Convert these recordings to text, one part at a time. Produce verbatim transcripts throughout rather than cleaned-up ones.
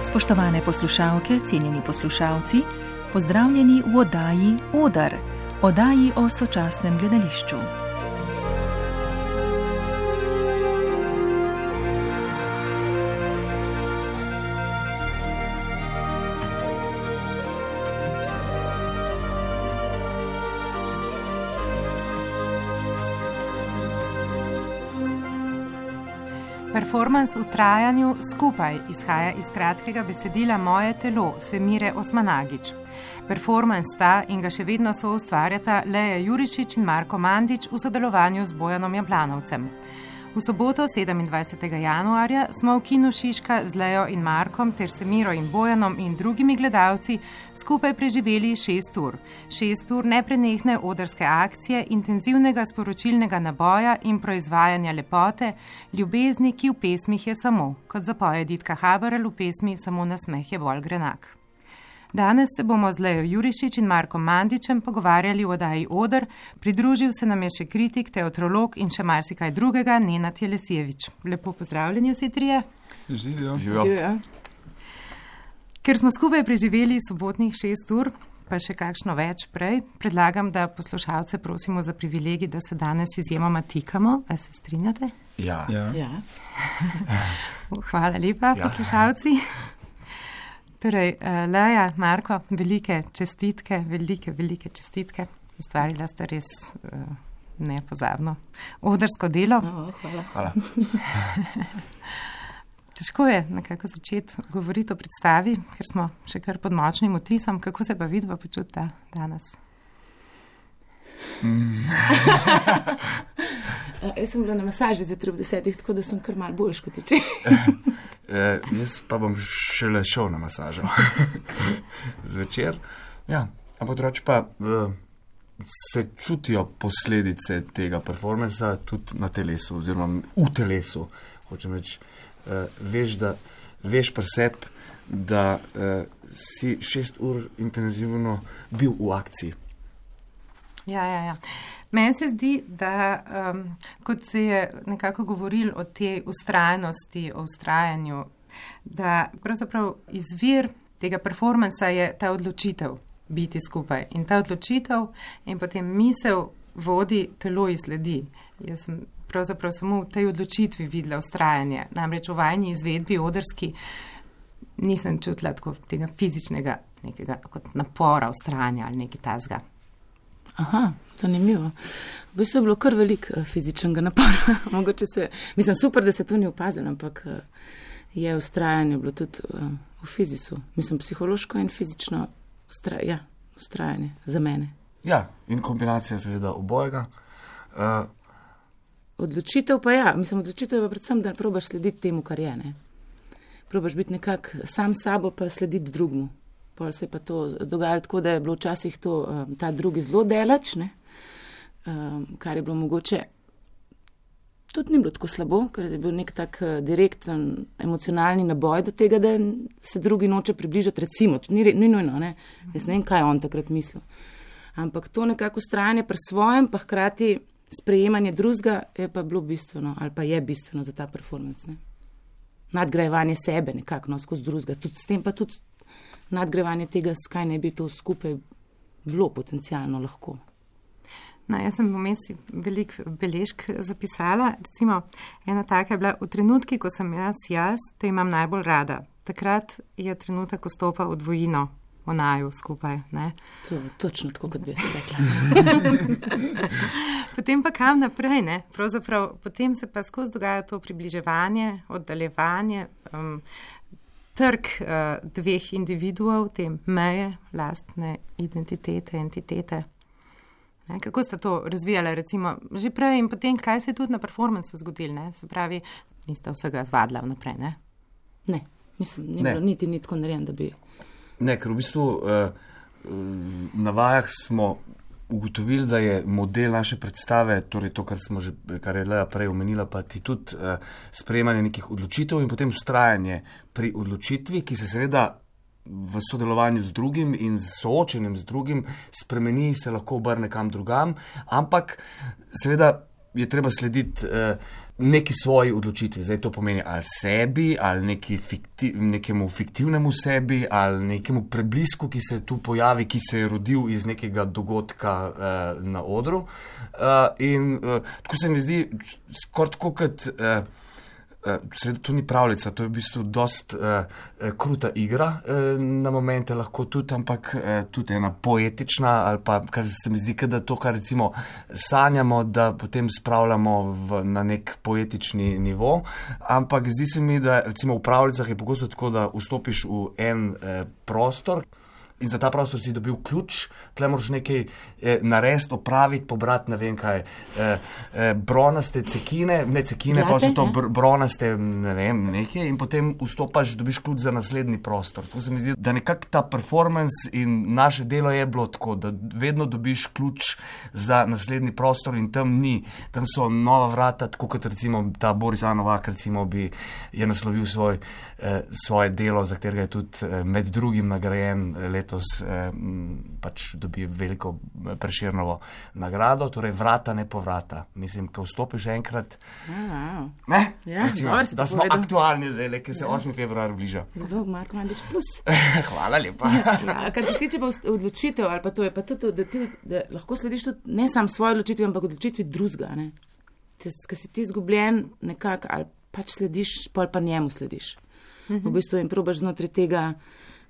Spoštovane poslušalke, cenjeni poslušalci, pozdravljeni v oddaji Oder, oddaji o sočasnem gledališču. Performans v trajanju skupaj izhaja iz kratkega besedila Moje telo Semire Osmanagić. Performans sta in ga še vedno soustvarjata Leja Jurišič in Marko Mandić v sodelovanju z Bojanom Japlanovcem. V soboto sedemindvajsetega januarja smo v kinu Šiška z Lejo in Markom ter Semiro in Bojanom in drugimi gledalci skupaj preživeli šest ur. Šest ur neprenehne odrske akcije, intenzivnega sporočilnega naboja in proizvajanja lepote, ljubezni, ki v pesmih je samo, kot zapoje Ditka Haberl v pesmi Samo nasmeh je bolj grenak. Danes se bomo z Lejo Jurišič in Markom Mandićem pogovarjali v oddaji Oder, pridružil se nam je še kritik, teatrolog in še marsikaj drugega, Nenad Jelesijevič. Lepo pozdravljeni vsi trije. Živijo. Živijo. Ker smo skupaj preživeli sobotnih šest ur, pa še kakšno več prej, predlagam, da poslušalce prosimo za privilegij, da se danes izjemoma tikamo. A se strinjate? Ja. Ja. Ja. Hvala lepa, ja. Poslušalci. Torej, Leja, Marko, velike čestitke, velike, velike čestitke. Ustvarila ste res uh, nepozabno odrsko delo. No, hvala. Hvala. Težko je nekako začeti govoriti o predstavi, ker smo še kar pod močnim vtisom. Kako se pa vidva počuta danes? Mm. Jaz sem bila na masaži zjutraj ob desetih, tako da sem kar malo boljš kot včeraj. E, jaz pa bom šele šel na masažo zvečer. Ja, ampak drugače pa v, se čutijo posledice tega performansa tudi na telesu, oziroma v telesu. Hočem reči, e, veš, da veš pri sebi, da e, si šest ur intenzivno bil v akciji. Ja, ja, ja. Meni se zdi, da um, kot se je nekako govoril o tej ustrajnosti, o ustrajanju, da pravzaprav izvir tega performansa je ta odločitev biti skupaj. In ta odločitev in potem misel vodi, telo izsledi. Jaz sem pravzaprav samo v tej odločitvi videla ustrajanje. Namreč v vajni izvedbi odrski nisem čutila tako tega fizičnega nekega kot napora, ustrajanja ali nekaj tazga. Aha, zanimivo. V bistvu je bilo kar veliko fizičnega napora. Mogoče se, mislim, super, da se to ni opazilo, ampak je ustrajanje bilo tudi v fizisu. Mislim, psihološko in fizično ustra, ja, ustrajanje za mene. Ja, in kombinacija seveda obojega. Uh, odločitev pa ja, mislim, odločitev je predvsem, da probaš slediti temu, kar je, ne. Probaš biti nekak sam sabo, pa slediti drugmu. Pol se je pa to dogajalo tako, da je bilo včasih to, um, ta drugi zelo delač, ne, um, kar je bilo mogoče, tudi ni bilo tako slabo, ker je bil nek tak uh, direkten emocionalni naboj do tega, da se drugi noče približati, recimo, ni, ni nujno, ne, jaz ne vem, kaj on takrat mislil. Ampak to nekako ustrajanje pri svojem, pa hkrati sprejemanje drugega je pa bilo bistveno, ali pa je bistveno za ta performance, ne. Nadgrajevanje sebe nekako, no, skozi drugega, tudi s tem pa tudi nadgrevanje tega, skaj ne bi to skupaj bilo potencialno lahko. No, jaz sem vmes veliko beležk zapisala. Recimo, ena taka je bila, v trenutki, ko sem jaz jaz, te imam najbolj rada. Takrat je trenutek, ko stopa v dvojino, v naju skupaj. Ne? To, točno tako, kot bi jaz rekla. Potem pa kam naprej, ne? Pravzaprav, potem se pa skozi dogaja to približevanje, oddaljevanje, um, trg uh, dveh individuov, te meje, lastne identitete, entitete. Ne, kako sta to razvijala, recimo, že prej in potem, kaj se je tudi na performansu zgodilo, ne? Se pravi, nista vsega zvadila vnaprej, ne? Ne, mislim, ni bilo niti ni tako narejen, da bi... Ne, ker v bistvu uh, na vajah smo ugotovili, da je model naše predstave, torej to, kar smo že, kar je Leja prej omenila, pa ti tudi uh, sprejemanje nekih odločitev in potem ustrajanje pri odločitvi, ki se seveda v sodelovanju z drugim in z soočenjem z drugim spremeni, se lahko obrne kam drugam, ampak seveda je treba slediti uh, neki svoji odločitvi. Zdaj to pomeni ali sebi, ali neki fiktiv, nekemu fiktivnemu sebi, ali nekemu preblisku, ki se tu pojavi, ki se je rodil iz nekega dogodka uh, na odru. Uh, in uh, tako se mi zdi, skoraj tako kot, uh, uh, seveda to ni pravljica, to je v bistvu dost uh, kruta igra uh, na momente lahko tudi, ampak uh, tudi ena poetična, ali pa kar se mi zdi, da to, kar recimo sanjamo, da potem spravljamo v, na nek poetični nivo, ampak zdi se mi, da recimo v pravljicah je pogosto tako, da vstopiš v en uh, prostor, in za ta prostor si dobil ključ, tle moraš nekaj eh, narediti, opraviti, pobrati, ne vem kaj, eh, eh, bronaste cekine, ne cekine, Zlate, pa so to br bronaste, ne vem, nekaj, in potem vstopaš, dobiš ključ za naslednji prostor. Tako se mi zdi, da nekako ta performance in naše delo je bilo tako, da vedno dobiš ključ za naslednji prostor in tam ni. Tam so nova vrata, tako kot recimo ta Boris A. Novak, recimo bi je naslovil svoj, eh, svoje delo, za katerega je tudi eh, med drugim nagrajen let letos eh, pač dobi veliko Prešernovo nagrado, torej vrata ne povrata. Mislim, ko vstopiš enkrat, wow. ne, ja, recimo, da smo povedal. Aktualni zdaj, ki se ja. osmi februar bliža. Dobro, Marko Mandić plus. Hvala lepa. Ja, kar se tiče pa odločitev, ali pa to je pa tudi, da, ti, da lahko slediš tudi ne sam svoje odločitvi, ampak odločitvi drugega, ne. Ker si ti izgubljen nekako, ali pač slediš, pol pa njemu slediš. Mhm. V bistvu in probaš znotraj tega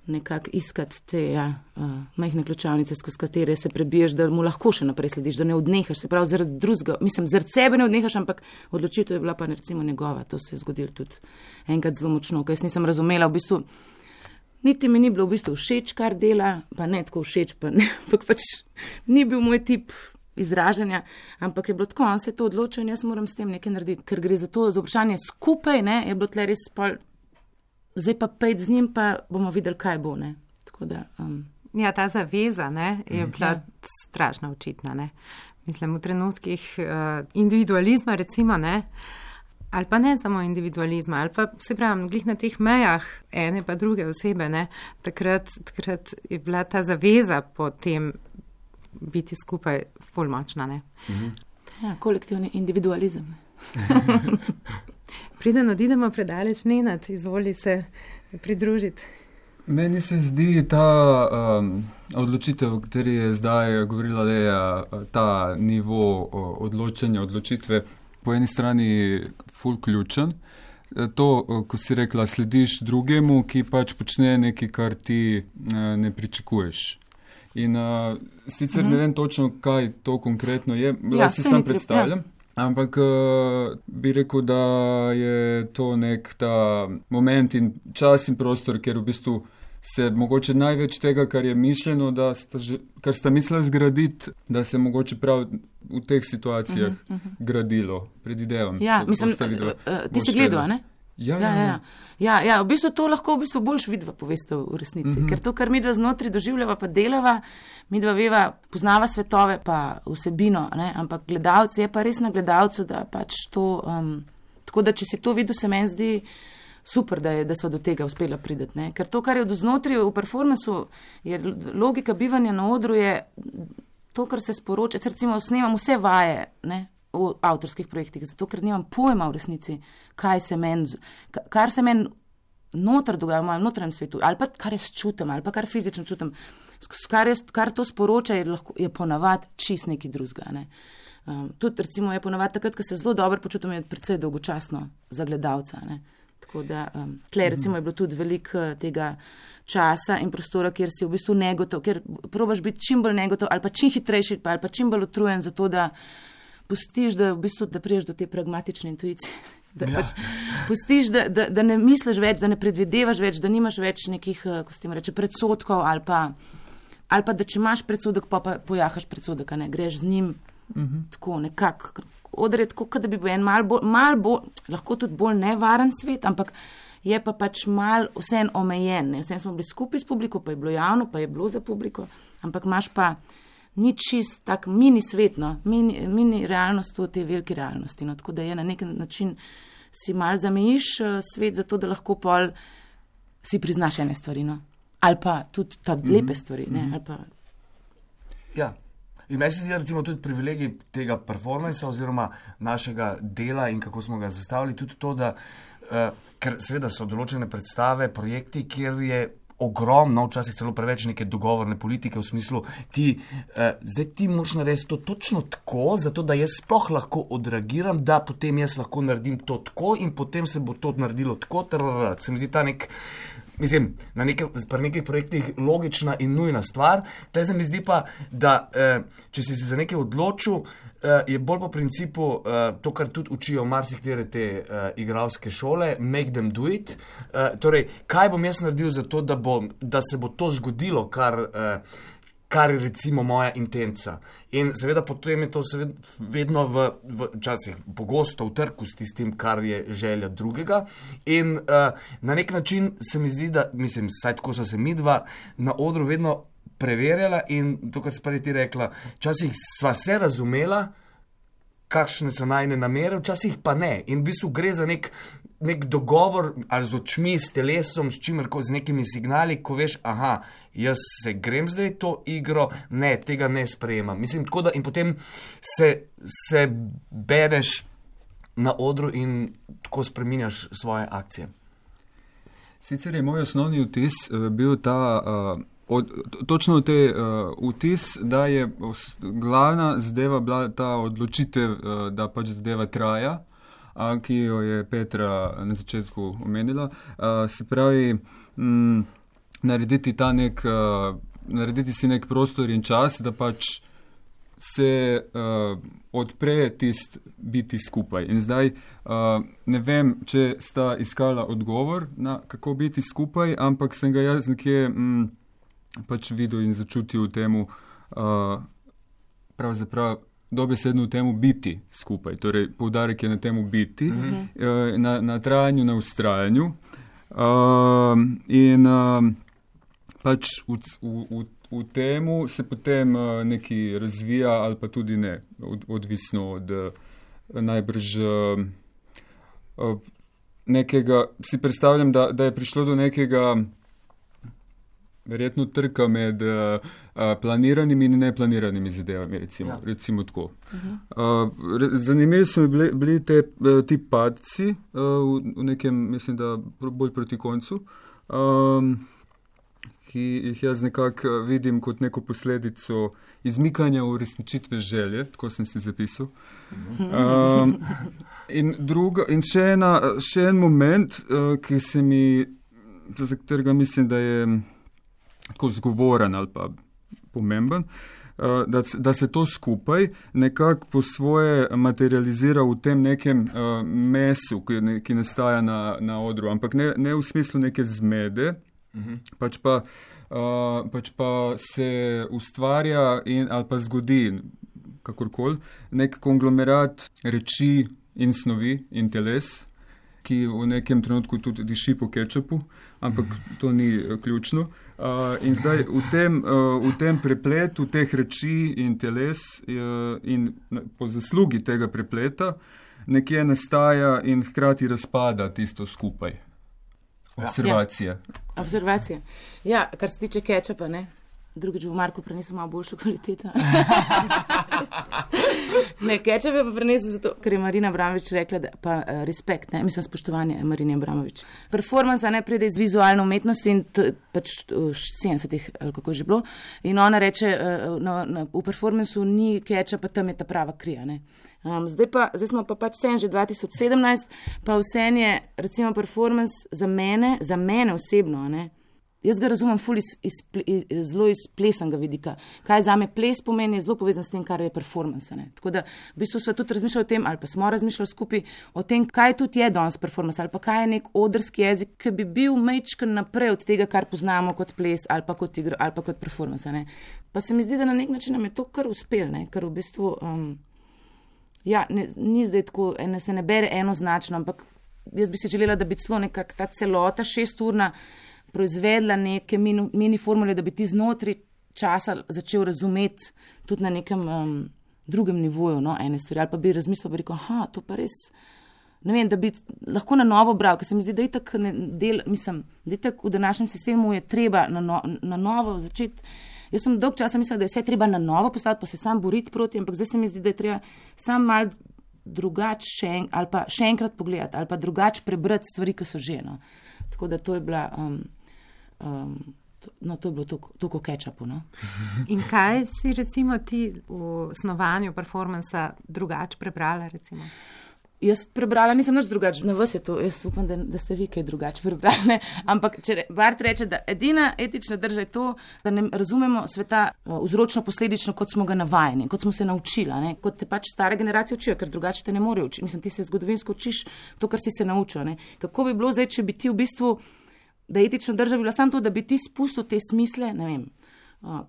nekako iskati te ja, uh, majhne ključavnice, skozi katere se prebiješ, da mu lahko še naprej slediš, da ne odnehaš, se pravi zaradi drugega, mislim, zaradi sebe ne odnehaš, ampak odločitev je bila pa recimo njegova, to se je zgodilo tudi enkrat zelo močno, ker jaz nisem razumela, v bistvu, niti mi ni bilo v bistvu všeč, kar dela, pa ne tako všeč, pa ne, ampak pač ni bil moj tip izražanja, ampak je bilo tako, on se je to odločil in jaz moram s tem nekaj narediti, ker gre za to, za vprašanje skupaj, ne, je bilo tle res pol. Zdaj pa pejt z njim, pa bomo videli, kaj bo, ne. Tako da, um... Ja, ta zaveza, ne, je bila ja. strašno očitna, ne. Mislim, v trenutkih uh, individualizma, recimo, ne, ali pa ne samo individualizma, ali pa, se pravim, glih na teh mejah ene pa druge osebe, ne, takrat, takrat je bila ta zaveza po tem biti skupaj ful močna, ne. Mhm. Ja, kolektivni individualizem, ne. Preden odidemo predaleč, Nenad, izvoli se pridružiti. Meni se zdi ta um, odločitev, o kateri je zdaj govorila Leja, ta nivo odločanja, odločitve, po eni strani ful ključen. To, ko si rekla, slediš drugemu, ki pač počne nekaj, kar ti uh, ne pričakuješ. In uh, sicer mm-hmm. ne vem točno, kaj to konkretno je, ja, si sam predstavljam. Ja. Ampak uh, bi rekel, da je to nek ta moment in čas in prostor, kjer v bistvu se mogoče največ tega, kar je mišljeno, da sta že, kar sta mislila zgraditi, da se mogoče prav v teh situacijah uh-huh, uh-huh. gradilo, predvidevam. Ja, mislim, uh, uh, ti si gledal, ne? Ja, ja, ja. Ja, ja, v bistvu to lahko v bistvu boljš vidva poveste v resnici, mm-hmm. ker to, kar midva znotri doživljava pa delava, midva veva, poznava svetove pa vsebino, ne? Ampak gledalci je pa res na gledalcu, da pač to, um, tako da če si to videl, se meni zdi super, da, je, da so do tega uspela prideti, ne? Ker to, kar je od znotri v performansu, je logika bivanja na odru, je to, kar se sporoča, recimo snemam vse vaje, ne? V avtorskih projektih, zato ker nimam pojma v resnici, kaj se meni, kar se meni noter dogaja v mojem notranjem svetu, ali pa kar jaz čutim, ali pa kar fizično čutim, kar, jaz, kar to sporoča, je, lahko, je ponavad čist neki drugega. Ne. Um, tudi recimo je ponavad takrat, ko se zelo dobro počutim, je predvsej dolgočasno za gledalca. Ne. Tako da, um, tle recimo je bilo tudi veliko tega časa in prostora, kjer si v bistvu negotov, kjer probaš biti čim bolj negotov, ali pa čim hitrejši, ali pa čim bolj utrujen za to, da pustiš, da v bistvu, da priješ do te pragmatične intuicije. Da ja. pač pustiš, da, da, da ne misliš več, da ne predvidevaš več, da nimaš več nekih, ko se tem reče, predsotkov ali pa, ali pa da če imaš predsodek, pa, pa pojahaš predsodek, ne, greš z njim uh-huh. tako nekako, odre tako, da bi bil en mal bolj, mal bolj, lahko tudi bolj nevaren svet, ampak je pa pač mal vsem omejen, ne, vsem smo bili skupaj s publiko, pa je bilo javno, pa je bilo za publiko, ampak imaš pa ni čist tak mini svet, no, mini, mini realnost v tej veliki realnosti, no, tako da je na nek način si mal zamejiš uh, svet zato, da lahko pol si priznaš ene stvari, no, ali pa tudi ta lepe stvari, ne, ali pa... Ja, In meni se zdi, recimo, tudi privilegij tega performansa oziroma našega dela in kako smo ga zastavili, tudi to, da, uh, ker seveda so določene predstave, projekti, kjer je ogromno, včasih celo preveč neke dogovorne politike v smislu, ti, eh, zdaj ti moraš narediti to točno tako, zato da jaz sploh lahko odreagiram, da potem jaz lahko naredim to tako in potem se bo to naredilo tako, trrr, se mi zdi ta nek, mislim, na neke, pri nekih projektih logična in nujna stvar. Tle se mi zdi pa, da eh, če si se za nekaj odločil, eh, je bolj po principu eh, to, kar tudi učijo marsiktere te eh, igralske šole, make them do it. Eh, torej, kaj bom jaz naredil za to, da, bo, da se bo to zgodilo, kar... Eh, kar je recimo moja intenca. In seveda potem je to seveda vedno v, v časih pogosto v trku s tistim, kar je želja drugega. In uh, na nek način se mi zdi, da, mislim, saj tako so se mi dva na odru vedno preverjala in to, kar si prej ti rekla, včasih sva se razumela, kakšne so najne namere, včasih pa ne. In v bistvu gre za nek, nek dogovor ali z očmi, s telesom, s čimerko, z nekimi signali, ko veš, aha, jaz se grem zdaj to igro, ne, tega ne sprejemam. Mislim, tako da in potem se, se bereš na odru in tako spreminjaš svoje akcije. Sicer je moj osnovni vtis uh, bil ta... Uh, Od, točno te uh, vtis, da je glavna zadeva bila ta odločitev, uh, da pač zadeva traja, uh, ki jo je Petra na začetku omenila. Uh, se pravi, m, narediti, ta nek, uh, narediti si nek prostor in čas, da pač se uh, odpre tist biti skupaj. In zdaj uh, ne vem, če sta iskala odgovor na kako biti skupaj, ampak sem ga jaz nekje... M, pač videl in začutil v temu, uh, pravzaprav dobesedno v temu biti skupaj. Torej, poudarek je na temu biti, mm-hmm. uh, na, na trajanju, na ustrajanju. Uh, in uh, pač v, v, v, v temu se potem uh, nekaj razvija ali pa tudi ne, od, odvisno od uh, najbrž uh, uh, nekega, si predstavljam, da, da je prišlo do nekega verjetno trka med uh, planiranimi in neplaniranimi zadevami, recimo, ja. recimo tako. Uh-huh. Uh, zanimivi so mi bili, bili te, ti padci uh, v, v nekem, mislim, da bolj proti koncu, um, ki jih jaz nekako vidim kot neko posledico izmikanja uresničitve želje, tako sem si zapisal. Um, in, druga, in še, ena, še en moment, uh, ki se mi, za katerega mislim, da je tako zgovoren ali pa pomemben, da, da se to skupaj nekako po svoje materializira v tem nekem uh, mesu, ki, ne, ki nastaja na, na odru, ampak ne, ne v smislu neke zmede, uh-huh. pač, pa, uh, pač pa se ustvarja in, ali pa zgodi, kakorkoli, nek konglomerat reči in snovi in teles, ki v nekem trenutku tudi diši po kečupu, ampak to ni ključno. Uh, in zdaj v tem, uh, v tem prepletu teh reči in teles uh, in po zaslugi tega prepleta nekje nastaja in hkrati razpada tisto skupaj. Observacija. Ja. Observacija. Ja, kar se tiče kečupa, ne? Drugič v Marku prenesel malo boljšo kvaliteto. Ne, kečup je pa prenesel zato, ker je Marina Abramovič rekla, da pa uh, respekt, ne, mislim spoštovanje Marine Abramovič. Performance ne pride iz vizualne umetnosti in to, pač v sedemdesetih, ali kako je že bilo, in ona reče, uh, no, no, v performanceu ni kečupa, tam je ta prava krija, ne. Um, zdaj, pa, zdaj smo pa pač vsem že dva tisoč sedemnajst, pa vsem je, recimo, performance za mene, za mene osebno, ne. Jaz ga razumem ful iz, iz, iz, zelo iz plesanega vidika. Kaj za me ples pomeni, je zelo povezan s tem, kar je performance. Ne? Tako da v bistvu smo tudi razmišljali o tem, ali pa smo razmišljali skupaj o tem, kaj tudi je danes performance, ali pa kaj je nek odrski jezik, ki bi bil majčken naprej od tega, kar poznamo kot ples ali pa kot igro ali pa kot performance. Ne? Pa se mi zdi, da na nek način nam je to kar uspel, ne? Ker v bistvu um, ja, ne, ni zdaj tako, ne, se ne bere enoznačno, ampak jaz bi si želela, da bi celo nekak ta celota šesturna proizvedla neke mini, mini formule, da bi ti znotraj časa začel razumeti tudi na nekem um, drugem nivoju, no, ene stvari, ali pa bi razmislil, bi rekel, aha, to pa res, ne vem, da bi lahko na novo bral, ker se mi zdi, da je tak del, mislim, da je tak v današnjem sistemu je treba na, no, na novo začeti Jaz sem dolg časa mislila, da je vse treba na novo postaviti, pa se sam boriti proti, ampak zdaj se mi zdi, da je treba sam mal drugače še, en, ali pa še enkrat pogledati, ali pa drugače prebrati stvari, ki so že. No. Tako da to je bila, um, um, to, no to je bilo toliko ketchupu. No. In kaj si recimo ti v snovanju performansa drugače prebrala recimo? Jaz prebrala nisem nič drugače, na vas je to, jaz upam, da, da ste vi kaj drugače prebrali, ne? Ampak če Bart reče, da edina etična drža je to, da ne razumemo sveta vzročno posledično, kot smo ga navajeni, kot smo se naučila, ne? Kot te pač stare generacije učijo, ker drugače te ne morejo učiti. Mislim, ti se zgodovinsko učiš to, kar si se naučil. Ne? Kako bi bilo zdaj, če bi ti v bistvu, da etična drža bi bila samo to, da bi ti spustil te smisle, ne vem,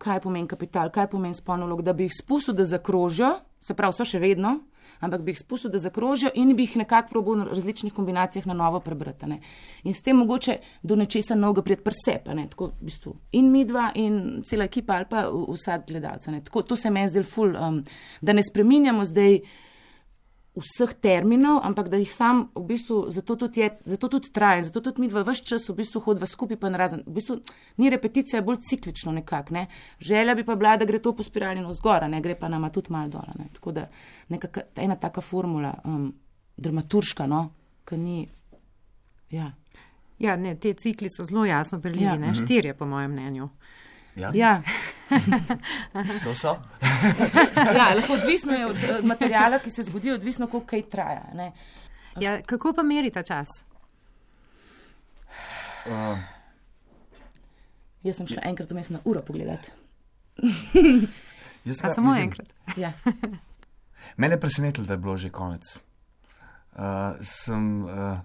kaj pomeni kapital, kaj pomeni spolno vlogo, da bi jih spustil, da zakrožijo, se pravi, so še vedno, ampak bi jih spustil, da zakrožijo in bi jih nekako probal v različnih kombinacijah na novo prebrati. Ne. In s tem mogoče do nečesa novega prijeti pri sebi, tako v bistvu in midva in cela ekipa ali pa vsak gledalec. Tako, to se meni zdel ful, um, da ne spreminjamo zdaj vseh terminov, ampak da jih sam v bistvu, zato tudi, je, zato tudi traje, zato tudi midva vse čas v bistvu hodva skupaj pa narazen. V bistvu ni repeticija, bolj ciklično nekako. Ne. Želja bi pa bila, da gre to po spirali navzgora, ne, gre pa nama tudi malo dole. Ne. Tako da nekaka, ena taka formula, um, dramaturška, no, ki ni, ja. Ja, ne, te cikli so zelo jasno prelili, ja. Ne, štirje po mojem mnenju. Ja. Ja. To so? Ja, lahko odvisno je od materijala, ki se zgodi, odvisno, koliko kaj traja. Ne. Ja, kako pa meri ta čas? Uh. Jaz sem šla enkrat vmes na uro pogledati. A samo mislim, enkrat? Ja. Mene je presenetilo, da je bilo že konec. Uh, sem... Uh,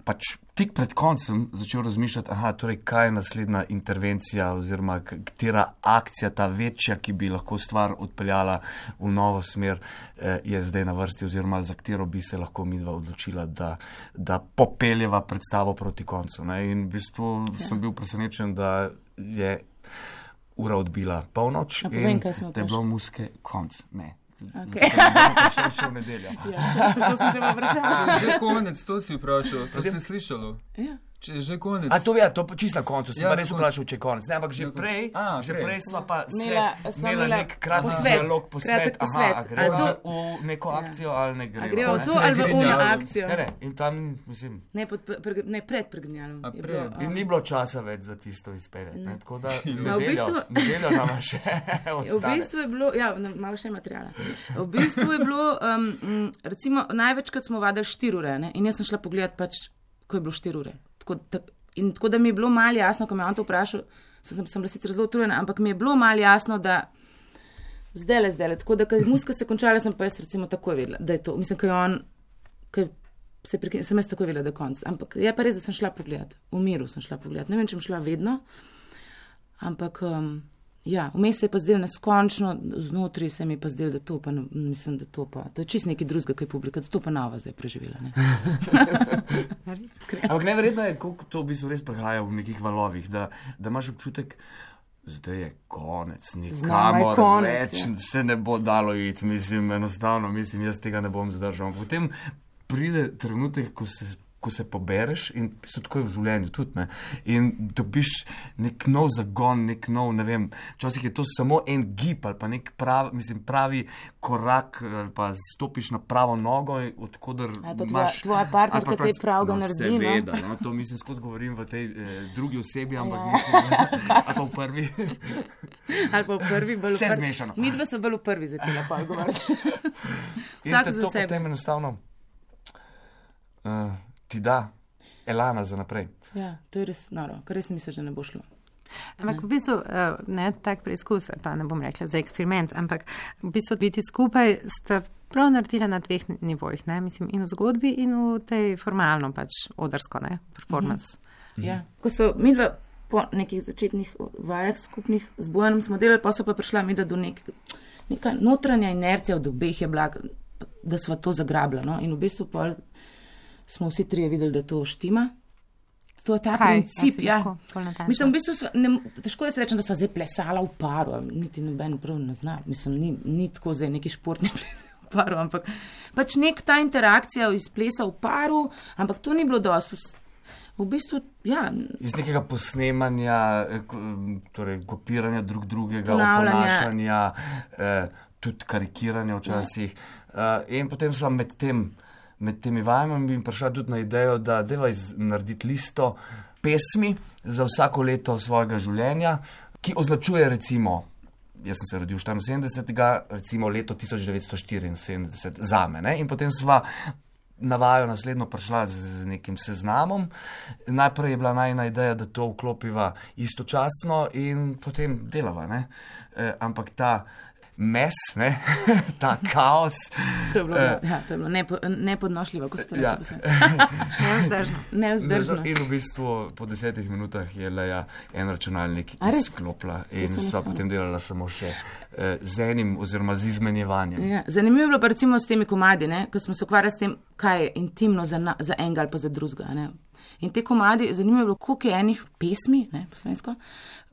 Pač tik pred koncem začel razmišljati, aha, torej kaj je naslednja intervencija oziroma katera akcija, ta večja, ki bi lahko stvar odpeljala v novo smer, eh, je zdaj na vrsti oziroma za katero bi se lahko midva odločila, da, da popeljeva predstavo proti koncu. Ne? In v bistvu okay. sem bil presenečen, da je ura odbila polnoč in povem, da je bilo muske konc. Ne. Okay. Še še v nedeljo. Ja, to, to sem te vprašala. Že konec, to si vprašal, to si slišalo. Ja. Če je že konec. A to je, to čisto na koncu, sem Ja, pa res konec. vprašal, če je konec. Ne, ampak že prej, A, že prej. prej sva pa se Imela- sva imela imela nek kratek posvet, dialog, posvet, kratek aha, posvet. a greva A to- v neko akcijo ali ne A greva. gremo v ne? to ali v ono Pregrinjalom. akcijo? Ne, ne, in tam, mislim, Ne, pod, pre, ne pred pregrinjalom. A je pred. bilo, in um, ni bilo časa več za tisto izpeljati, ne, tako da No, v nedeljo, bistvu- nedeljo nama še V ostane. bistvu je bilo, ja, na- malo še materijala. V bistvu je bilo, um, m, recimo, največkrat smo vadili štiri ure, ne? In jaz sem šla pogledat pač, ko je bilo štiri ure. Tako, tak, in tako da mi je bilo malo jasno, ko me je on to vprašal, sem, sem bila sicer zelo utrujena, ampak mi je bilo malo jasno, da zdajle, zdajle, tako da, ko je muska se končala, sem pa jaz recimo takoj vedela, da je to, mislim, ko je on, ko je se prekine, sem jaz takoj vedela, da je konc. Ampak je pa res, da sem šla pogledat, v miru sem šla pogledat, ne vem, če sem šla vedno, ampak, um, ja, vmes se je pa zdel neskončno, znotri se mi je pa zdel, da to pa, ne, mislim, da to pa, to je čist nekaj drugega, kaj je publika, da to pa nova zdaj preživela, ne. Ampak neverjetno je, koliko to v bistvu res prehaja v nekih valovih, da, da imaš občutek, zdaj je konec, Znova je nikamor konec, več, ja. se ne bo dalo iti, mislim, enostavno, mislim, jaz tega ne bom zdržal. Potem pride trenutek, ko se, ko se pobereš in so tako je v življenju tudi, ne, in dobiš nek nov zagon, nek nov, ne vem, včasih je to samo en gib ali pa nek pravi, mislim, pravi korak ali pa stopiš na pravo nogo, odkudar Ali pa tvoja, imaš... tvoja partnerka ali pa kaj pač- pravga no, naredi, no. seveda, no, to mislim, skozi govorim v tej eh, drugi osebi, ampak Ja. mislim, ali pa v prvi. Ali pa v prvi, bolj v Vse prvi. zmešano. Mi dva smo bolj v prvi začela pa govoriti. In Vsak te za to sebe. potem enostavno uh, ti da elana za naprej. Ja, to je res noro, ker res misliš, da ne bo šlo. Ampak v bistvu uh, ne tak preizkus, ali pa ne bom rekla za eksperiment, ampak v bistvu biti skupaj sta prav naredila na dveh nivojih, ne? Mislim, in v zgodbi in v tej formalno pač odrsko, ne, performance. Mhm. Ja, ko so midva po nekih začetnih vajah skupnih z Bojanom smo delali, pa so pa prišla midva do nek, neka notranja inercija od obeh je bila, da sva to zagrabila, no, in v bistvu pol smo vsi trije videli, da to štima. To je ta Kaj? princip, A si ja. lahko bolj natančna? Mislim, v bistvu, sva, ne, težko jaz rečem, da sva zdaj plesala v paru, niti noben prav ne zna. Mislim, ni, ni tako zdaj neki športni ples v paru, ampak pač nek ta interakcija iz plesa v paru, ampak to ni bilo dosti. V bistvu, ja. Iz nekega posnemanja, torej kopiranja drug drugega, Ponavljanja. oponašanja, eh, tudi karikiranja včasih. Uh, in potem sva med, tem, med temi vajami prišla tudi na idejo, da deva narediti listo pesmi za vsako leto svojega življenja, ki označuje recimo, jaz sem se rodil štiriinsedemdesetega, recimo leto tisoč devetsto štiriinsedemdeset zame. Ne? In potem sva na vajo naslednjo prišla z, z nekim seznamom. Najprej je bila najna ideja, da to vklopiva istočasno in potem delava. Ne? E, ampak ta mes, ne? Ta kaos. To je bilo, eh, ja, to je bilo nepo, nepodnošljivo, ko ste Ja. reči. Nevzdržno. Neuzdržno. In v bistvu po desetih minutah je Leja en računalnik A res? izklopila To in se ne sva spomnim. potem delala samo še eh, z enim oziroma z izmenjevanjem. Ja, zanimivo je bilo pa recimo s temi komadi, ne, ko smo se ukvarjali s tem, kaj je intimno za, na, za enega ali pa za drugega. Ne. In te komadi, zanimivo je bilo, koliko je enih pesmi, ne, po slovensko,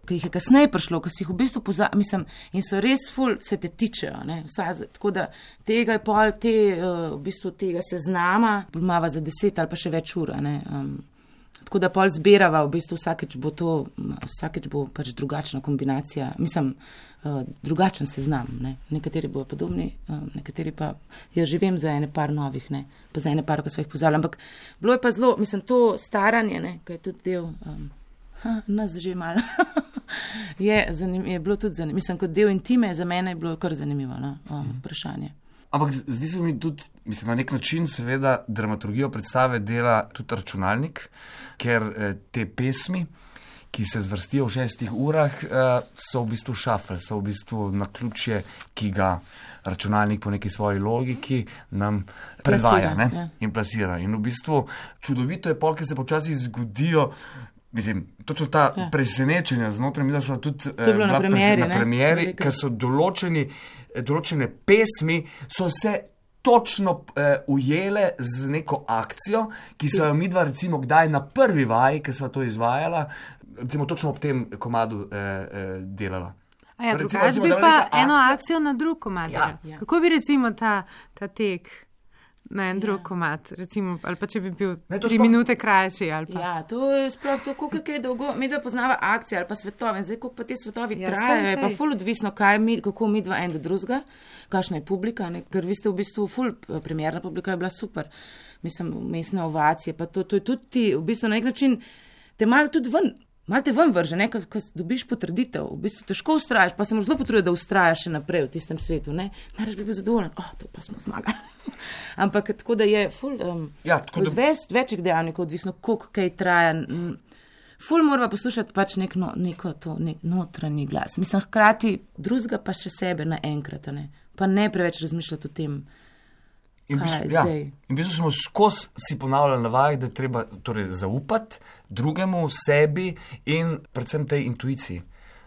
ki jih je kasneje prišlo, ki si jih v bistvu pozabili, mislim, in so res ful, se te tičejo. Ne, vsa, tako da tega je pol, te, uh, v bistvu tega seznama, imava za deset ali pa še več ur. Ne, um, tako da pol zbirava, v bistvu vsakeč bo to, vsakeč bo pač drugačna kombinacija, mislim, uh, drugačen seznam. Ne. Nekateri bodo podobni, uh, nekateri pa, jaz že vem za ene par novih, ne, pa za ene par, ko smo jih pozabili, ampak bilo je pa zelo, mislim, to staranje, ne, ko je tudi del, um, ha, nas že malo, je, zanim, je bilo tudi zanimivo, mislim, kot del intime, za mene je bilo kar zanimivo, no, um, vprašanje. Ampak zdi se mi tudi, mislim, na nek način seveda dramaturgijo predstave dela tudi računalnik, ker eh, te pesmi, ki se zvrstijo v šestih urah, eh, so v bistvu šafel, so v bistvu naključje, ki ga računalnik po neki svoji logiki nam predvaja, Plasira, ne, ja. in plasira. In v bistvu čudovito je pol, ker se počasi zgodijo. Mislim, točno ta ja. presenečenja znotraj, mi da so tudi je bilo na premieri, na ne? premieri, Velika. ker so določeni, določene pesmi so se točno eh, ujele z neko akcijo, ki so jo midva recimo kdaj na prvi vaji, ki so to izvajala, recimo točno ob tem komadu eh, eh, delala. A ja, Recimo, drugače recimo, bi da je pa neka eno akcija- akcijo na drug komad. Ja. Ja. Kako bi recimo ta, ta tek na en Ja. drug komad, recimo, ali pa če bi bil Ne, to tri sploh- minute krajši ali pa. Ja, to je sploh to, koliko je dolgo, mi dva poznava akcije ali pa svetove, zdaj koliko pa te svetovi Ja, trajajo, saj, je pa saj. ful odvisno, kaj mi, kako mi dva en do drugega, kakšna je publika, ne? Ker vi ste v bistvu ful, premjerna publika je bila super, mislim, mestne ovacije, pa to, to je tudi ti, v bistvu na nek način te malo tudi ven, malo te ven vrže, ne, ko, ko dobiš potrditev, v bistvu težko ustrajaš, pa se moraš zelo potruditi, da ustrajaš še naprej v tistem svetu, ne, najraž bi bil zadovoljen, oh, to pa smo zmagali. Ampak tako da je ful, um, Ja, tako da- od več, večjih dejavnikov, odvisno, koliko kaj traja. m, Ful morava poslušati pač nek, no, neko to, nek notranji glas. Mislim, hkrati drugega pa še sebe naenkrat, a ne? Pa ne preveč razmišljati o tem. In v Kaj bistvu, je ja, zdaj? in v bistvu smo skozi si ponavljali na vajah, da je treba torej, zaupati drugemu, sebi in predvsem tej intuiciji,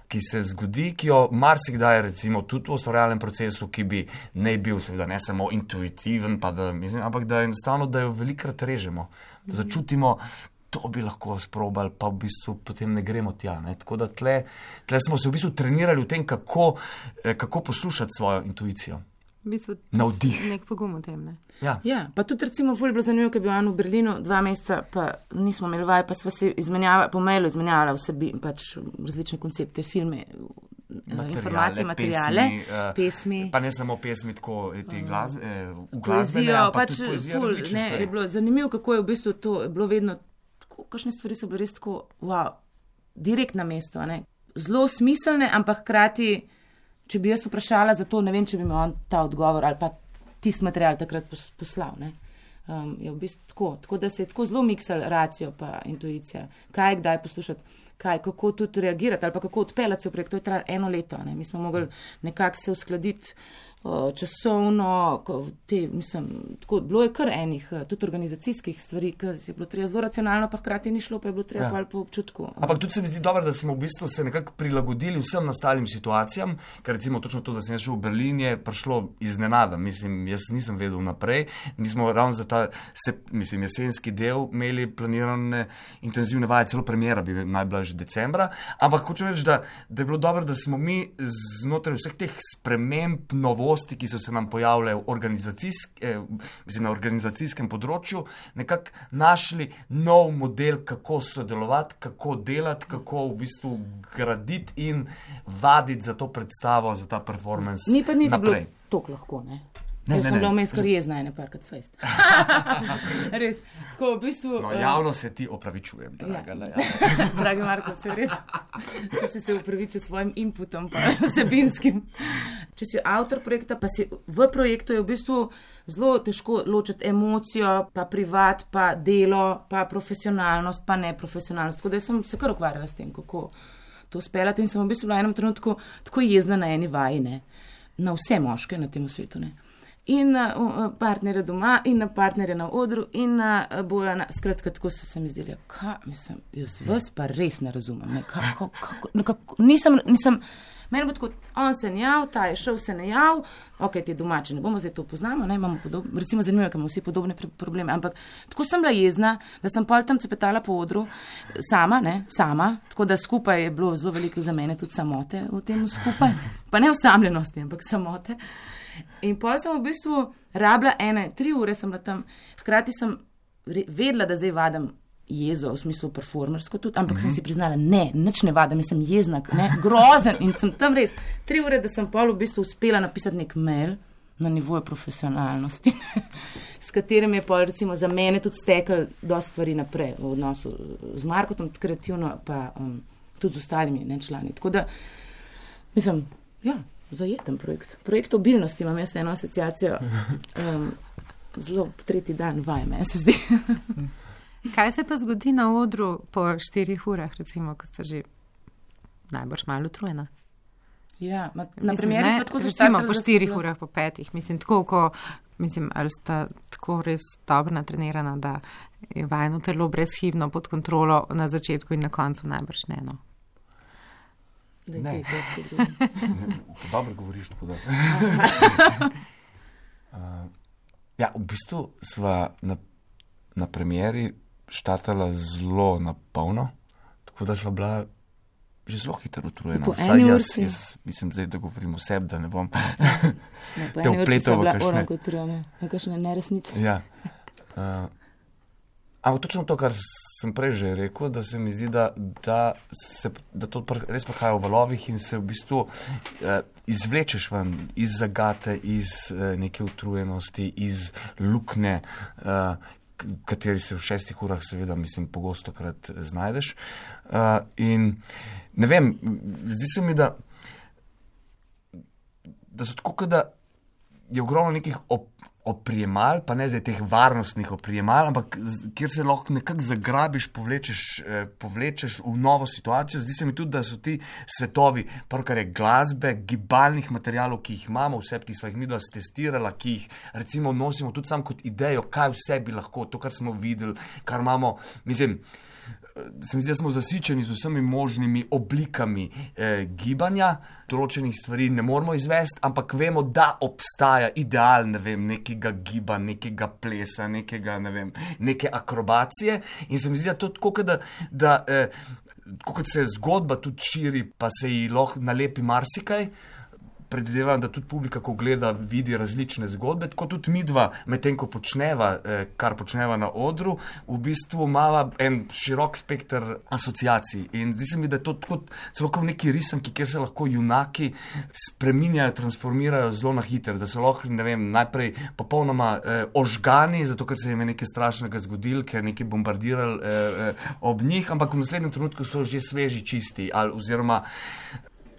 ki se zgodi, ki jo marsikdaj, recimo tudi v ustvarjalnem procesu, ki bi ne bil seveda ne samo intuitiven, pa da, mislim, ampak da enostavno, da jo velikrat režemo, da začutimo, to bi lahko sprobali, pa v bistvu potem ne gremo tja. Ne? Tako da tle, tle smo se v bistvu trenirali v tem, kako, eh, kako poslušati svojo intuicijo. V bistvu Navdih. nek pogum v tem, ne. Ja. Ja, pa tudi recimo ful je bilo zanimivo, ker je bil on v Berlinu dva meseca, pa nismo imeli vaj, pa sva se izmenjava, po mailu izmenjala vsebi, pač različne koncepte, filme, informacije, materijale, pesmi, eh, pesmi. Pa ne samo pesmi, tako eh, te glas, eh, v glasbene, Poezijo, ampak pač tudi poezijo, ful, različne ne, stvari. je bilo zanimivo, kako je v bistvu to, je bilo vedno, tako, kakšne stvari so bile res tako, wow, direkt na mesto, a ne, zelo smiselne, ampak hkrati, če bi jaz vprašala za to, ne vem, če bi mi on ta odgovor ali pa tisti material takrat pos- poslal, ne. Um, je v bistvu tako, tako da se je tako zelo miksal racijo pa intuicija, kaj kdaj poslušati, kaj, kako tudi reagirati ali pa kako odpeljati se v projekt, to je trajalo eno leto, ne. Mi smo mogli nekako se uskladiti uh, časovno, ko te, mislim, tako, bilo je kar enih, uh, tudi organizacijskih stvari, ki je bilo treba zelo racionalno, pa hkrati ni šlo, pa je bilo treba Ja. ja. po občutku. Ampak tudi se mi zdi dobro, da smo v bistvu se nekako prilagodili vsem nastalim situacijam, ker recimo točno to, da sem jaz šel v Berlin, je prišlo iznenada. Mislim, jaz nisem vedel naprej. Mi smo ravno za ta se, mislim, jesenski del imeli planirane intenzivne vaje, celo premjera bi naj bila že decembra. Ampak hočem reči, da, da je bilo dobro, da smo mi znotraj vseh teh sprememb, novosti, novosti, ki so se nam pojavile v organizacijsk, eh, na organizacijskem področju, nekako našli nov model, kako sodelovati, kako delati, kako v bistvu graditi in vaditi za to predstavo, za ta performance. Ni pa ni naprej. bilo toliko lahko, ne? Ne, Jaz ne, sem ne. bila vmes kar jezna ene parkrat fejst. Res. Tako v bistvu... No, eh, javno se ti opravičujem, draga. Ja. Ja. Dragi Marko, se vred. Če si se upravičil svojim inputom, pa vsebinskim. Če si avtor projekta, pa si v projektu je v bistvu zelo težko ločiti emocijo, pa privat, pa delo, pa profesionalnost, pa neprofesionalnost. Tako da sem se kar ukvarjala s tem, kako to speljati in sem v bistvu v enem trenutku tako jezna na eni vaji, ne. Na vse moške na tem svetu, ne. In na uh, partnerje doma, in na partnerje na odru, in na uh, Bojana. Skratka, tako so se mi zdeli, kaj, mislim, jaz vas pa res ne razumem. Ne, kako, kako, nekako, nisem, nisem, meni bo tako, on se ne jav, ta je šel, se ne jav, ok, ti domači, ne bomo zdaj to poznamo, ne, imamo podobne, recimo zanimivo, ker imamo vsi podobne probleme, ampak tako sem bila jezna, da sem pol tam cepetala po odru, sama, ne, sama, tako da skupaj je bilo zelo veliko za mene tudi samote v tem skupaj, pa ne osamljenosti, ampak samote. In pol sem v bistvu rabila ene, tri ure sem bila tam, hkrati sem vedela, da zdaj vadam jezo, v smislu performersko tudi, ampak mm-hmm. sem si priznala, ne, nič ne vadam, jaz sem jezna, ne, grozen in sem tam res tri ure, da sem pol v bistvu uspela napisati nek mail na nivoju profesionalnosti, s katerim je pol recimo za mene tudi stekal dosti stvari naprej v odnosu z Markotom, kreativno pa um, tudi z ostalimi ne, člani. Tako da, mislim, ja, zajeten projekt. Projekt obilnosti imam jaz eno asociacijo. Um, zelo tretji dan vaj me, se zdi. Kaj se pa zgodi na odru po štirih urah, recimo, ko ste že najbrž malo utrujena? Ja, ma, na Mislim, primeri ne, smo tako recimo zaštartali, po da štirih smo- urah, po petih. Mislim, tako, ko, mislim, ali sta tako res dobro natrenirana, da je vajno telo brezhibno pod kontrolo na začetku in na koncu najbrž ne, no. Da je Ne. kaj težko zgodilo. Dobro govoriš, tako da. uh, ja, v bistvu sva na, na premieri štartala zelo na polno, tako da sva bila že zelo hitro utrujena. Po Vsaj eni jaz, urci. jaz mislim zdaj, da govorim o sebi, da ne bom Ne, po te eni urci vpletal sem v bila kakšne. onako utrujena, v kakšne neresnice. Ja. Uh, ampak točno to, kar sem prej že rekel, da se mi zdi, da, da, se, da to pr, res prihaja v valovih in se v bistvu uh, izvlečeš ven iz zagate, iz uh, neke utrujenosti, iz lukne, uh, v kateri se v šestih urah seveda, mislim, pogosto krat znajdeš. Uh, in ne vem, zdi se mi, da da so tako, kot da je ogromno nekih op, oprijemal, pa ne zdaj teh varnostnih oprijemal, ampak z- kjer se lahko nekako zagrabiš, povlečeš, eh, povlečeš v novo situacijo. Zdi se mi tudi, da so ti svetovi, prvo kar je glasbe, gibalnih materialov, ki jih imamo, vse, ki smo jih mi dos testirala, ki jih recimo nosimo tudi sam kot idejo, kaj vse bi lahko, to, kar smo videli, kar imamo, mislim, se mi zdi, da smo zasičeni z vsemi možnimi oblikami eh, gibanja, določenih stvari ne moramo izvesti, ampak vemo, da obstaja ideal, ne vem, nekega giba, nekega plesa, nekega, ne vem, neke akrobacije in se mi zdi, da to tako, kot da, da eh, tako kot se zgodba tudi širi, pa se ji lahko nalepi marsikaj, predvidevam, da tudi publika, ko gleda, vidi različne zgodbe, tako tudi midva, medtem ko počneva, eh, kar počneva na odru, v bistvu imava en širok spekter asociacij. In zdi se mi, da je to tako celo kot neki risanki, kjer se lahko junaki spreminjajo, transformirajo zelo na hiter, da so lahko, ne vem, najprej popolnoma eh, ožgani, zato ker se jim je nekaj strašnega zgodilo, ker nekaj bombardirali eh, eh, ob njih, ampak v naslednjem trenutku so že sveži, čisti, ali oziroma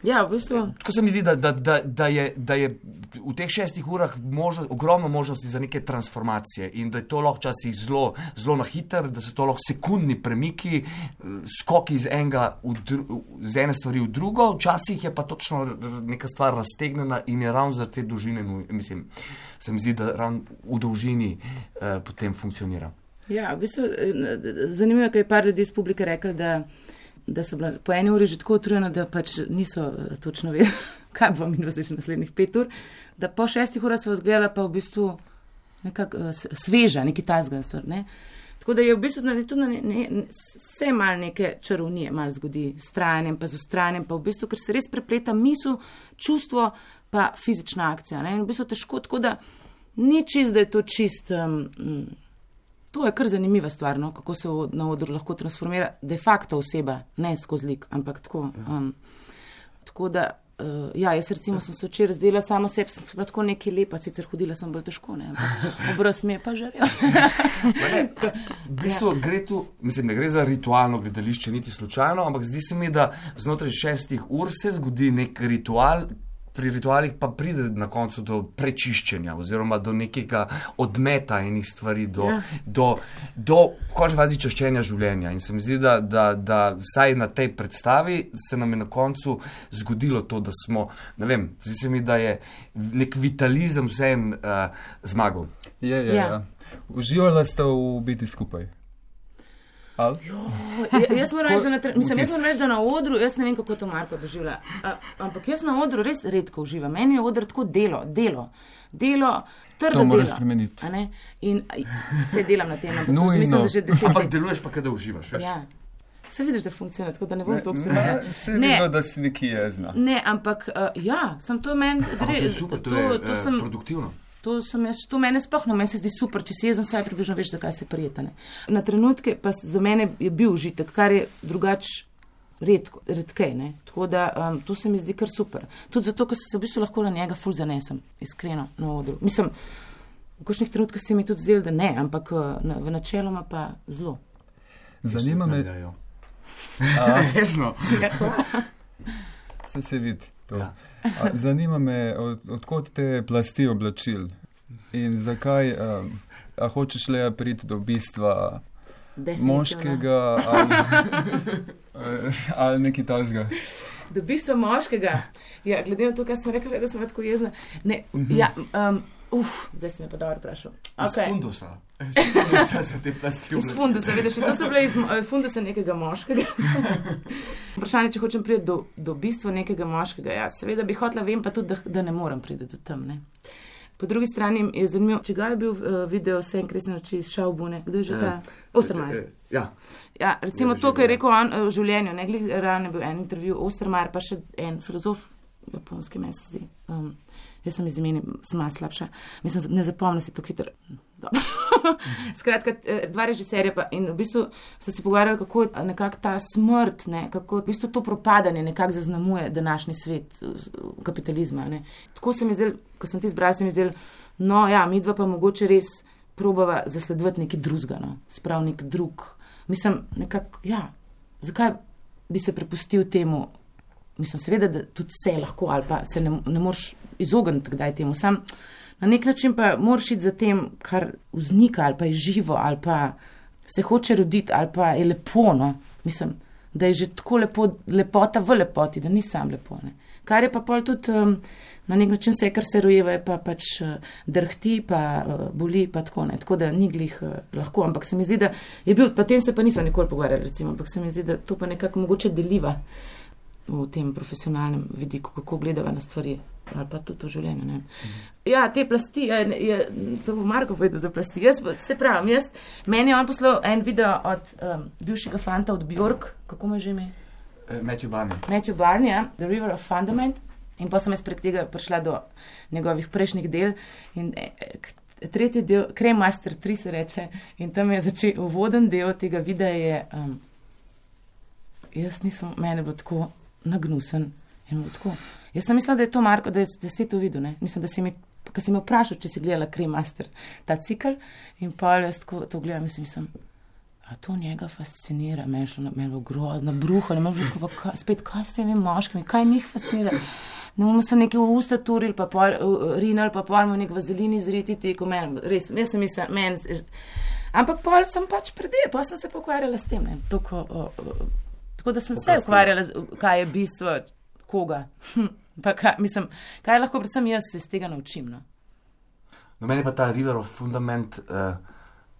Ja, v bistvu. tako se mi zdi, da, da, da, da, je, da je v teh šestih urah možno, ogromno možnosti za neke transformacije in da je to lahko včasih zelo, zelo na hiter, da so to lahko sekundni premiki, eh, skoki iz, enega v dru, z ene stvari v drugo, včasih je pa točno r- r- neka stvar raztegnjena in je ravno za te dolžine, nuj- mislim, se mi zdi, da ravno v dolžini eh, potem funkcionira. Ja, v bistvu eh, zanimivo je, kaj je par ljudi iz publike rekel, da, da so bila po eni uri že tako utrujena, da pač niso eh, točno vedeli, kaj bo minilo zdaj še naslednjih pet ur, da po šestih urah so vas gledala pa v bistvu nekako uh, sveža, neki tazga, so, ne. Tako da je v bistvu tudi ne, ne, ne, se mal neke čarovnije mal zgodi s trajanjem, pa z ustrajanjem, pa v bistvu, ker se res prepleta misel, čustvo, pa fizična akcija. Ne? In v bistvu težko, tako da ni čist, da je to čist, um, to je kar zanimiva stvar, no? Kako se na odru lahko transformira de facto oseba, ne skozi lik, ampak tako. Um, tako da, uh, ja, jaz recimo sem se včeraj zdela sama sebi, sem se tako nekaj lepa, sicer hodila sem bolj težko, ne, ampak obraz mi je pa žarel. V bistvu ja. Gre tu, mislim, ne gre za ritualno gledališče, niti slučajno, ampak zdi se mi, da znotraj šestih ur se zgodi nek ritual, pri ritualih pa pride na koncu do prečiščenja oziroma do nekega odmeta enih stvari, do, ja. do, do končne fazi čiščenja življenja. In se mi zdi, da, da, da vsaj na tej predstavi se nam je na koncu zgodilo to, da smo, ne vem, zdi se mi, da je nek vitalizem vsem uh, zmagal. Je, je, ja. ja. Uživala ste v biti skupaj? Jo, jaz moram reči, da, mislim, jaz moram reči, da na odru, jaz ne vem, kako to Marko doživlja, ampak jaz na odru res redko uživam. Meni je odr tako delo, delo, delo, trdo delo. To moraš spremeniti. In se delam na tem, ampak no, mislim, no. da že deset. Ampak deluješ pa, kada uživaš, veš? Ja. Se vidiš, da funkcionira, tako da ne bom to eksperimentirati. Se vidiš, da si neki jezna. Ne, ampak uh, ja, sem to meni gre. Ampak to je super, to, to je to uh, sem, produktivno. To, jaz, to mene sploh ne, meni se zdi super, če si jezen, saj približno veš, zakaj se prijeta. Ne. Na trenutke pa za mene je bil užitek, kar je drugač redko, redkej, ne. Tako da um, to se mi zdi kar super. Tudi zato, ker se v bistvu lahko na njega ful zanesem, iskreno, na odru. Mislim, v kakšnih trenutkah se mi tudi zdelo, da ne, ampak na, v načeloma pa zelo. Zanima me... Resno. Se se vidi to. Ja. A, zanima me, od, odkot te plasti oblačil in zakaj, um, a hočeš le priti do bistva moškega ali, ali nekaj tazga? Do bistva moškega? Ja, glede na to, kaj sem rekla, da sem tako jezna. Ne, mm-hmm. ja, um, uf, zdaj si me pa dobro vprašal. Okay. Iz fundusa. Iz fundusa so te plasti oblačil. Iz fundusa, vidiš, to so bile iz fundusa nekega moškega. Vprašanje, če hočem priti do, do bistva nekega moškega. Ja, seveda bi hotela, vem pa tudi, da, da ne moram priti do tam. Ne. Po drugi strani je zanimivo, če ga je bil uh, video Sen kresne noči iz Šaubune. Kdo je že ta? Ostermajer. Ja. Ja, recimo ja, to, kar je rekel on v življenju. Ne, glih, ravno je bil en intervju Ostermajer, pa še en filozof, japonski meni se zdi. Um, jaz sem iz imeni, sem malo slabša. Mislim, ne zapomnim si to hitro. Skratka, dva režiserja pa in v bistvu so se pogovarjali, kako nekako ta smrt, ne, kako v bistvu to propadanje nekako zaznamuje današnji svet kapitalizma. Ne. Tako se mi zdel, ko sem ti izbral, se mi zdel, no ja, midva pa mogoče res probava zasledovati nekaj drugega, no, sprav nek drug. Mislim, nekako, ja, zakaj bi se prepustil temu, mislim, seveda, da tudi vse lahko ali pa se ne, ne moreš izogniti kdaj temu, sam na nek način pa moraš iti za tem, kar vznika ali pa je živo ali pa se hoče roditi ali pa je lepo, no. Mislim, da je že tako lepo, lepota v lepoti, da ni sam lepo, ne. Kar je pa pol tudi um, na nek način vse, kar se rojeva, je pa pač uh, drhti, pa uh, boli, pa tako, ne. Tako da ni glih uh, lahko, ampak se mi zdi, da je bil, pa tem se pa nismo nikoli pogovarjali, recimo, ampak se mi zdi, da to pa nekako mogoče deliva v tem profesionalnem vidiku, kako gledava na stvari, ali pa tudi v življenju, ne. Mhm. Ja, te plasti, je, je, to bo Marko povedal za plasti. Jaz, se pravim, jaz, meni je on poslal en video od um, bivšega fanta od Bjork, kako mu je že ime? Uh, Matthew Barney. Matthew Barney, ja, The River of Fundament, in pa sem jaz prek tega prišla do njegovih prejšnjih del in eh, tretji del, Creme Master tri se reče, in tam je začel uvoden del tega videa je, um, jaz nisem, mene bilo tako nagnusen. Tako. Jaz sem mislila, da je to Marko, da, je, da si to videl. Ne? Mislim, da si mi, ko si me vprašal, če si gledala Creme Master, ta cikl, in pa jaz tako to gledam, mislim, mislim, a to njega fascinira, meni je bilo grozno, bruho, ne morem tako, pa ka, spet, kaj s temi moškimi, kaj njih fascinira? Ne bomo se nekaj v usta turili, pa pol, rinali, pa pol mu nek vazelin izriti, teko, meni, res, jaz sem mislila, meni, ampak pol sem pač predel, pa sem se pokvarjala s tem, ne, tako, o, o, tako da sem se ukvarjala, kaj je bistvo, koga, hm, pa kaj, mislim, kaj lahko predvsem jaz se iz tega naučim, no. No, meni pa ta River of Fundament, uh,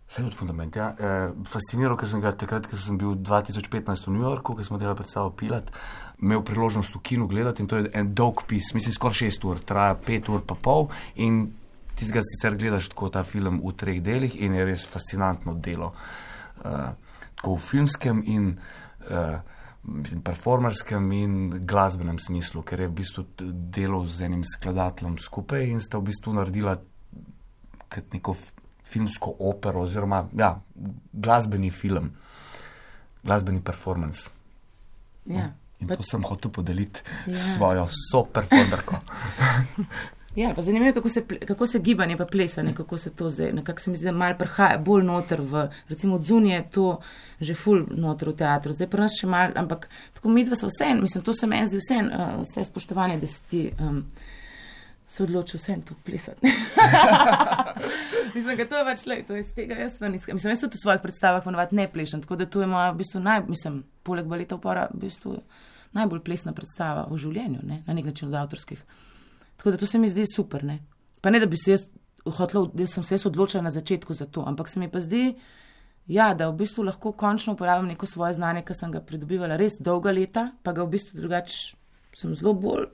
vse od Fundament, ja, uh, fasciniral, ker sem ga takrat, ker sem bil dva tisoč petnajst v New Yorku, ker smo delali predstavo Pilat, imel priložnost v kinu gledati in to je en dolg pis, mislim, skoraj šest ur, traja pet ur pa pol in ti ga sicer gledaš tako ta film v treh delih in je res fascinantno delo. uh, tako v filmskem in uh, mislim, performerskem in glasbenem smislu, ker je v bistvu delal z enim skladateljem skupaj in sta v bistvu naredila kot neko filmsko opero oziroma ja, glasbeni film, glasbeni performance. Ja. In Pa- to sem hotel podeliti Ja. s svojo soperformerko. Ja, pa zanimivo je, kako se, ple- kako se gibanje pa plesanje, kako se to zdaj, nekako se mi zdi, da malo prihaja bolj noter v, recimo od zunije je to že ful noter v teatru, zdaj pri nas še malo, ampak tako midva so vse, mislim, to se meni zdi vse, uh, vse spoštovanje, da si ti um, se odločil vse to plesati. Mislim, da to je pač le, to je z tega jaz ven iskam. Mislim, jaz tudi v svojih predstavah ponovadi ne plešem, tako da to je moja, v bistvu naj, mislim, poleg baleta upora, v bistvu najbolj plesna predstava v življenju, ne, na nek način od avtorskih. Tako da to se mi zdi super, ne. Pa ne, da bi se jaz hotela, da sem se jaz odločila na začetku za to, ampak se mi pa zdi, ja, da v bistvu lahko končno uporabim neko svoje znanje, ki sem ga pridobivala res dolga leta, pa ga v bistvu drugače sem zelo bolj,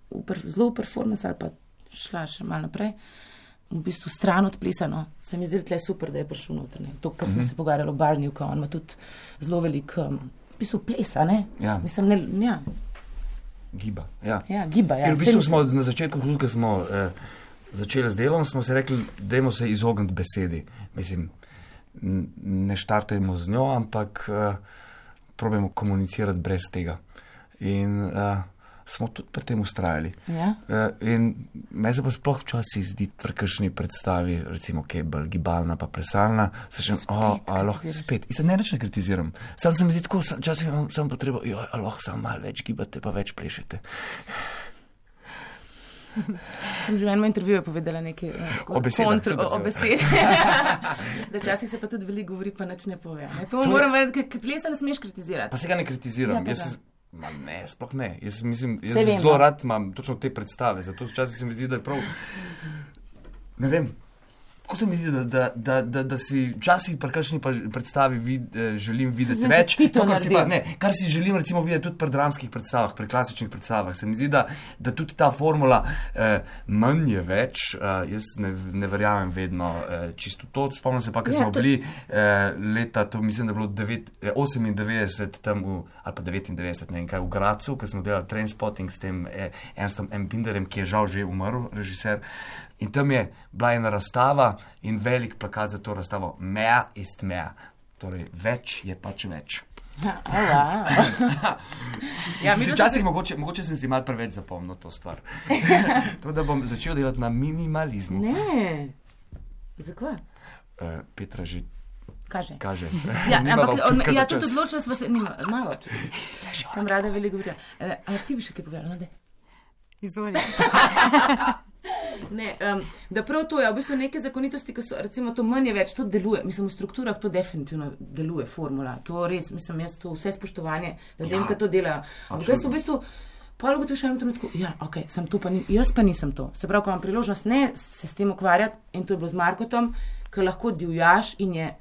v per, zelo v performance ali pa šla še malo naprej, v bistvu stran od plesano. Se mi zdi, da tle je super, da je prišel noter, ne. To, kar smo Mhm. se pogovarjali o Barniju, ko on ima tudi zelo velik, um, v bistvu plesa, ne. Ja. Mislim, ne, ja, Giba, ja. ja, giba, ja. In v Saj bistvu mislim- smo na začetku, tudi ko smo eh, začeli z delom, smo se rekli, dajmo se izogniti besedi. Mislim, n- ne štartajmo z njo, ampak eh, probajmo komunicirati brez tega. In eh, smo tudi pri tem ustrajali. Ja. Eh, in meni se pa sploh včasih zdi pri kakšni predstavi, recimo, ki je bolj gibalna pa plesalna, se še, oh, a lahko kritiziraš. spet. In se ne reč ne kritiziram. Sam se mi zdi tako, sam- včasih imam samo potrebo, jo, a lahko samo malo več gibate, pa več plešete. Sem že v enem intervjuju povedala nekaj uh, O besedah, kontr, super, o, o super. besedah. Da včasih se pa tudi veliko govori, pa nič ne pove. Ne? To je- moram vedeti, ker plesa ne smeš kritizirati. Pa se ga ne kritiziram. Ja, pa Jaz, da. ma ne, sploh ne. Jaz, mislim, Saj jaz vem, zelo no. rad imam točno te predstave, zato včasih se mi zdi, da je prav. Ne vem. Kako se mi zdi, da, da, da, da, da si včasih pri kakšni pa predstavi vid, eh, želim videti Zdaj si več. ti to kar, si pa, naredil. ne, kar si želim recimo videti tudi pri dramskih predstavah, pri klasičnih predstavah. Se mi zdi, da, da tudi ta formula eh, manj je več. Eh, jaz ne, ne verjamem vedno eh, čisto to. Spomnim se pa, ker Ja, smo to- bili eh, leta, to mislim, da je bilo devet, eh, osemindevetdeset tam v, ali pa devetindevetdeset, ne vem kaj, v Gracu, ko smo delali Trainspotting s tem eh, Ernstom M. Binderjem, ki je žal že umrl, režiser. In tam je bila ena razstava in velik plakat za to razstavo. Mehr ist mehr. Torej, več je pač več. Ja, wow. Ja, Ja, mi včasih smo mogoče, mogoče sem si mal preveč zapomnil to stvar. To, da bom začel delati na minimalizmu. Ne. Zakaj? Uh, Petra že Kaže. kaže. Ja, Nimava ampak on, občutka ja, za tudi čas. odločila sva se, nima, malo. Sem rada veliko govorila. E, a ti bi še kaj povedala, no, daj. Izvolite. Ne, um, da prav to je, v bistvu neke zakonitosti, ki so, recimo, to manj je več, to deluje. Mislim, v strukturah to definitivno deluje, formula. To res, mislim, jaz to vse spoštovanje, da vem, Ja, kaj to delajo. Ampak jaz v bistvu, pol ugotoviš v enem trenutku, ja, ok, sem to pa ni, jaz pa nisem to. Se pravi, ko imam priložnost ne se s tem ukvarjati, in to je bilo z Markotom, ker lahko divjaš in je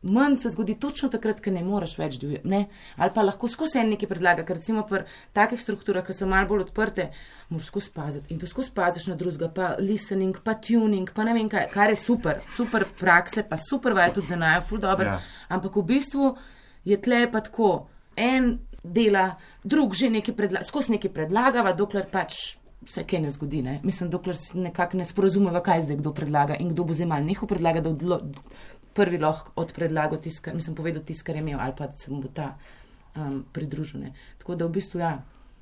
manj se zgodi točno takrat, ker ne moreš več divjati, ne? Ali pa lahko skozi en nekaj predlaga, ker recimo pri takih strukturah, ki so malo bolj odprte, moraš skozi paziti in to skozi paziš na drugega, pa listening, pa tuning, pa ne vem kaj, kar je super, super prakse, pa super vaje tudi za najo, ful dobro, Ja. ampak v bistvu je tle pa tako, en dela, drug že nekaj predlaga, skozi nekaj predlagava, dokler pač se kaj ne zgodi, ne? Mislim, dokler se nekako ne sporozumeva, kaj zdaj kdo predlaga in kdo bo zdaj mal nehal predlaga, da odlo, prvi lahko odpredlagal tisto, mislim, povedal tisto, kar je imel, ali pa da se mu bo ta um, pridružil, ne? Tako da v bistvu, ja,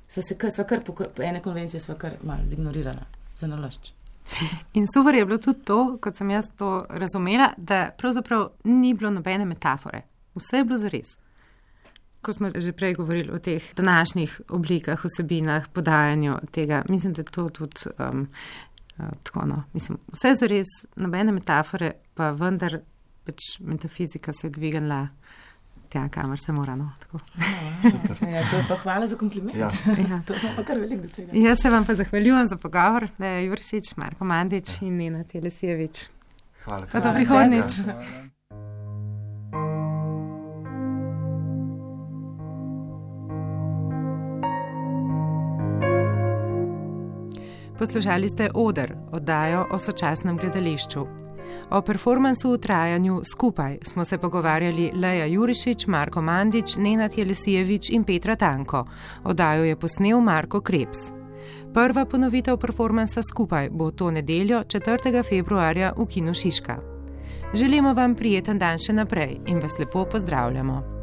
sva se kar, sva kar po, po ene konvencije sva kar malo zignorirala, za nalašč. In super je bilo tudi to, kot sem jaz to razumela, da pravzaprav ni bilo nobene metafore. Vse je bilo zares. Ko smo že prej govorili o teh današnjih oblikah, vsebinah, podajanju tega, mislim, da je to tudi um, uh, tako, no. Mislim, vse je zares, nobene metafore, pa vendar pač metafizika se je dvignila tja, kamor se mora, no. Tako. Ja, to je pa hvala za kompliment. Ja. Ja. To smo pa kar veliko dosegli. Jaz se vam pa zahvaljujem za pogovor, da je Juršič, Marko Mandič in Nena Telesijevič. Hvala. Pa do prihodnjič. Poslušali ste Oder, oddajo o sočasnem gledališču. O performansu v trajanju Skupaj smo se pogovarjali Leja Jurišič, Marko Mandič, Nenad Jelesijevič in Petra Tanko. Oddajo je posnel Marko Krebs. Prva ponovitev performansa Skupaj bo to nedeljo četrtega februarja v Kinu Šiška. Želimo vam prijeten dan še naprej in vas lepo pozdravljamo.